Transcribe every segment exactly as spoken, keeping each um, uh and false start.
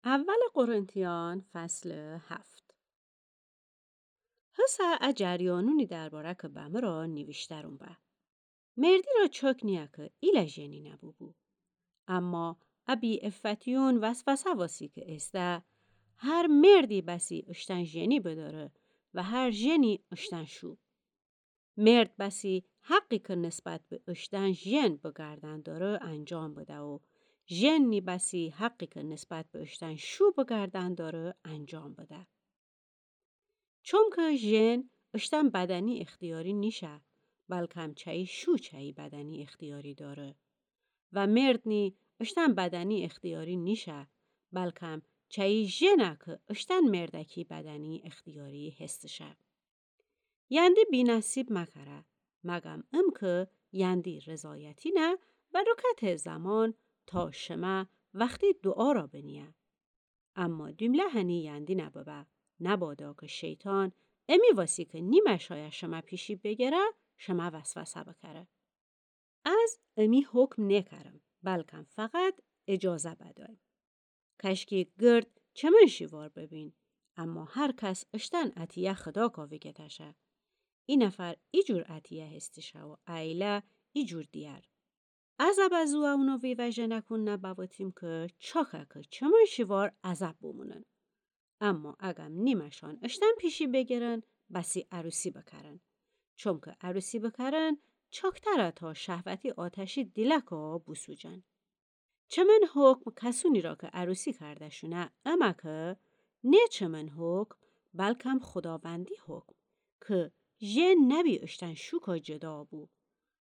اول قرنتیان فصل هفت. هسه ا جریانونی درباره که بمه را نیویشترون به. مردی را چاک نیه که ایله ژنی نبوبو. اما ا بی‌عفتیون وسوسه واسی که ایسته، هر مردی بسی اشتن ژنی بداره و هر ژنی اشتن شو. مرد بسی حقی که نسبت به اشتن ژن بگردن داره انجام بده و ژن نی بسی حقی که نسبت به اشتن شو بگردن داره انجام بده. چونکه ژن اشتن بدنی اختیاری نیشه، بلکم چایی شو چایی بدنی اختیاری داره. و مرد نی اشتن بدنی اختیاری نیشه، بلکم چایی ژنه که اشتن مردکی بدنی اختیاری هستشه. یندی بی‌نصیب مکره، مگم ام که یندی رضایتی نه و رکت زمان تا شمه وختی دعا را بنیه. اما دومله هنی یندی نببه، نبادا که شیطان امی واسی که نیمه شایه شمه پیشی بگره، شمه وسوسه بکره. از امی حکم نکرم، بلکم فقط اجازه بدایم. کشکی گرد چمن شیوار ببین، اما هر کس اشتن اتیه خدا کاوی گتشه. ای نفر ای جور اتیه هستشه و ایله ای جور دیگر. از ابا زو اونو ویوه ژنکون نبوتیم که چاکه که چمن شیوار عذاب بومونن. اما اگم نیمشان اشتن پیشی بگرن، بسی عروسی بکرن. چونکه عروسی بکرن، چاکتره تا شهوتی آتشی دیلکا بوسوجن. چمن حکم کسونی را که عروسی کرده شونه، اما که نه چمن حکم، بلکم خداوندی حکم، که ژن نبی اشتن شوکا جدا بو.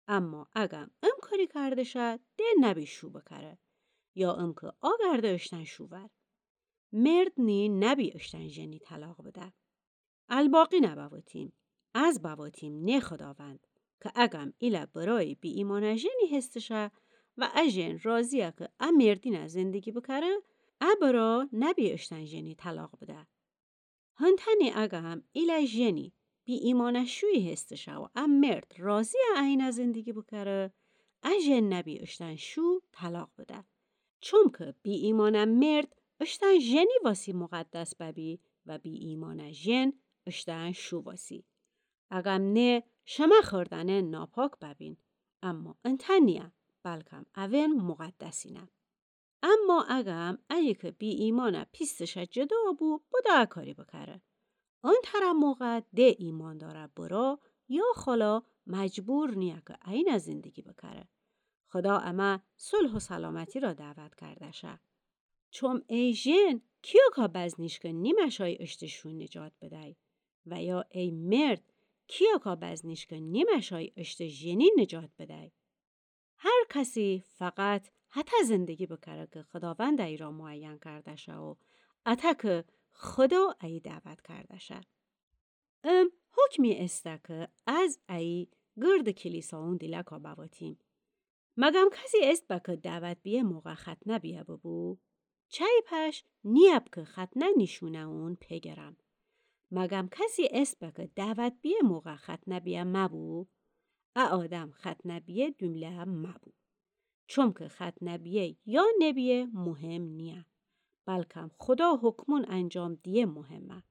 اما اگم ام کاری کرده شه، ده نبی شو بکره. یا ام که آگرده اشتن شوور. مرد نی نبی اشتن ژنی طلاق بده. الباقی نبوتیم، از بوتیم نه خداوند، که اگم ایله برای بی‌ایمانه ژنی هستشه و ا ژن راضیه که ا مردینه زندگی بکره، ا برا نبی اشتن ژنی طلاق بده. هنتنی اگم ایله ژنی بی‌ایمانه شویی هستشه و ا مرد راضیه اینه زندگی بکره، ا ژن نبی اشتن شو طلاق بده. چونکه بی‌ایمانه مرد اشتن ژنی واسی مقدس ببی و بی‌ایمانه ژن اشتن شو واسی. اگم نه شمه خوردنه ناپاک ببین، اما انتنیه، بلکم اون مقدسینه. اما اگم ایه که بی‌ایمانه پیستشه جدا بو، بدا ا کاری بکره. انتره موقع ده ایمانداره برا یا خالا مجبور نیه که اینه زندگی بکره. خدا امه صلح و سلامتی را دعوت کرده شه. چوم ای ژن، کیاکا بزنیش که نیمه شای اشت شو نجات بدی؟ و یا ای مرد، کیاکا بزنیش که نیمه شای اشت ژنی نجات بدی؟ هر کسی فقط هته زندگی بکره که خداوند ای را معین کرده شه و اته که خدا ای دعوت کرده شه. ام حکمی استه که از ای گرد کلیساون دیلکا بوتیم. مگم کسی است به که دعوت بیه موقع ختنه بیه ببو؟ چی پش نیب که ختنه نیشونه اون پگرم. مگم کسی است به که دعوت بیه موقع ختنه بیه مبو؟ ا آدم ختنه بیه دومله مبو. چوم که ختنه بیه یا نبیه مهم نیه. بلکم خدا حکمون انجام دیه مهمه.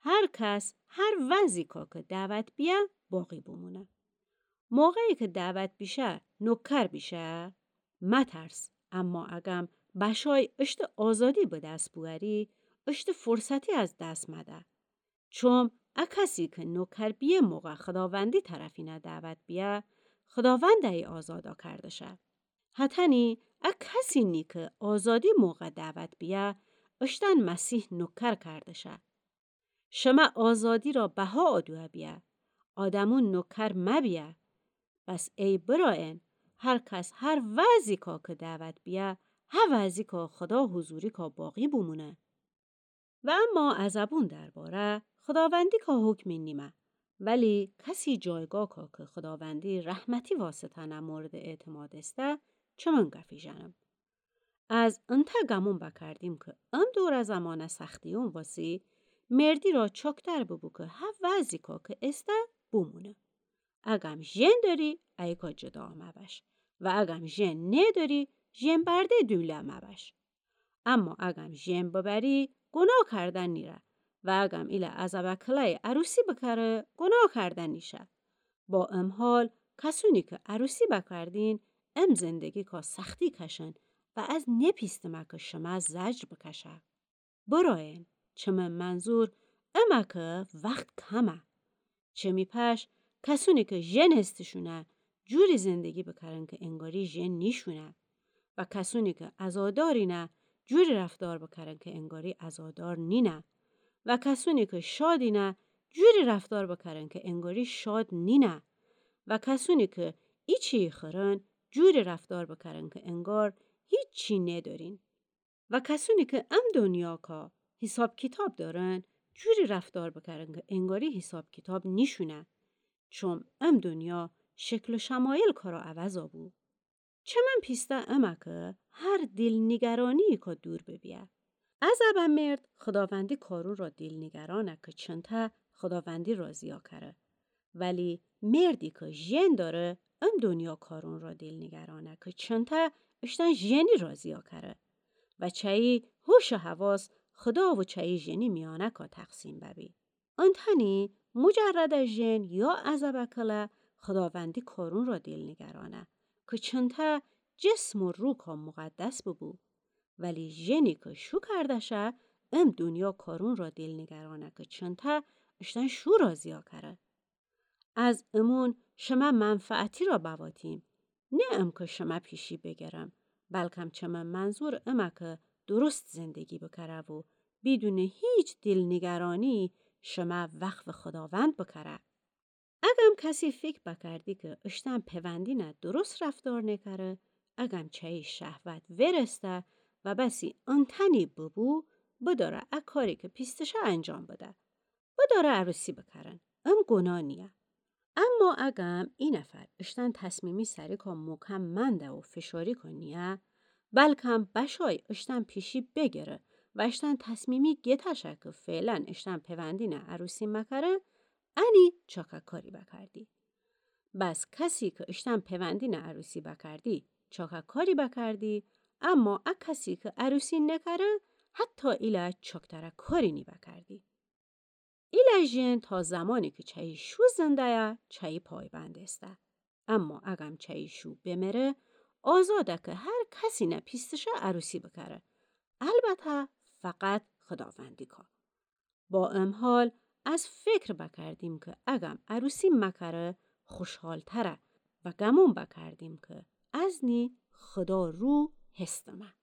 هر کس هر وضعی کا که دعوت بیه باقی بمونه. موقعی که دعوت بیشه نوکر بیشه، مترس، اما اگم بشای اشت آزادی به دست بواری، اشت فرصتی از دست مده. چوم ا کسی که نوکر بیه موقع خداوندی طرفینه دعوت بیه، خداوند ای آزادا کرده شه. هتنی ا کسی نی که آزادی موقع دعوت بیه، اشتن مسیح نوکر کرده شه. شمه آزادی را بها آدوه بیه. آدمون نوکر مبیه. بس ای برائن، هر کس هر وضعی کا که دعوت بیه، ها وضعی کا خدا حضوری کا باقی بمونه. و اما از ابون درباره خداوندی کا حکمی نیمه، ولی کسی جایگاه کا که خداوندی رحمتی واسطه نه مورد اعتماد استه، چمن گفی ژنم. از انته گمون بکردیم که ام دوره زمانه سختیون واسی، مردی را چاکتر ببو که ها وضعی کا که استه بمونه. اگم ژن داری، ایکا جدا مبش. و اگم ژن نداری، ژن برده دوله مبش. اما اگم ژن ببری، گناه کردن نیره و اگم ایله عزبه کلای عروسی بکره، گناه کردن نیشه. با ام حال، کسونی که عروسی بکردین، ام زندگی کا سختی کشن و از نپیستمه که شمه زجر بکشه. برایین، چه من منظور امه که وقت کمه. چه می پش، کسونی که ژن هستشونه، جوری زندگی بکرن که انگاری ژن نیشونه. و کسونی که عزادارینه، جوری رفتار بکرن که انگاری عزادار نینه. و کسونی که شادینه، جوری رفتار بکرن که انگاری شاد نینه. و کسونی که ایچی خورن، جوری رفتار بکرن که انگار هیچی ندارین. و کسونی که ام دنیا کا حساب کتاب دارن، جوری رفتار بکرن که انگاری حساب کتاب نیشونه. چون ام دنیا شکل و شمایل کارا عوضا بو. چه من پیسته امه که هر دل نگرانی کا دور ببیه. عزبه مرد خداوندی کارون را دل نگرانه که چنته خداوندی راضیا کره. ولی مردی که ژن داره، ام دنیا کارون را دل نگرانه که چنته اشتن ژنی راضیا کره. و چه‌ای هوش و حواس خدا و چه‌ای ژنی میانه کا تقسیم ببی. انتنی مجرد ژن یا عزبه کله خداوندی کارون را دل نگرانه که چنته جسم و روح کا مقدس ببو. ولی ژنی که شو کرده شه، ام دنیا کارون را دل نگرانه که چنته اشتن شو راضیا کره. از امون شمه منفعتی را بواتیم، نه ام که شمه پیشی بگرم، بلکم چه من منظور امه که درست زندگی بکره و بدون هیچ دل نگرانی شمه وقف خداوند بکره. اگم کسی فکر بکردی که اشتن پیوندینه درست رفتار نکره، اگم چه‌ای شهوت ورسته و بسی انتنی ببو، بداره ا کاری که پیستشه انجام بده. بداره عروسی بکرن. ام گناه نیه. اما اگم ای نفر اشتن تصمیمی سری کا مکم منده و فشاری کا نیه، بلکم بشای اشتن پیشی بگره و اشتن تصمیمی گتشه که فعلاً اشتن پیوندینه عروسی مکره، انی چاکه کاری بکردی. بس کسی که اشتن پیوندینه عروسی بکردی، چاکه کاری بکردی، اما ا کسی که عروسی نکره، حتی ایله چاکتره کاری نیبکردی. ایله ژن تا زمانی که چه‌ای شو زنده‌یه، چه‌ای پایبند ایسته. اما اگم چه‌ای شو بمره، آزاده که هر کسینه پیستشه عروسی بکره. البته فقط خداوندی کا. با ام حال از فکر بکردیم که اگم عروسی مکره خوشحالتره و گمون بکردیم که ازنی خدا رو هستمه.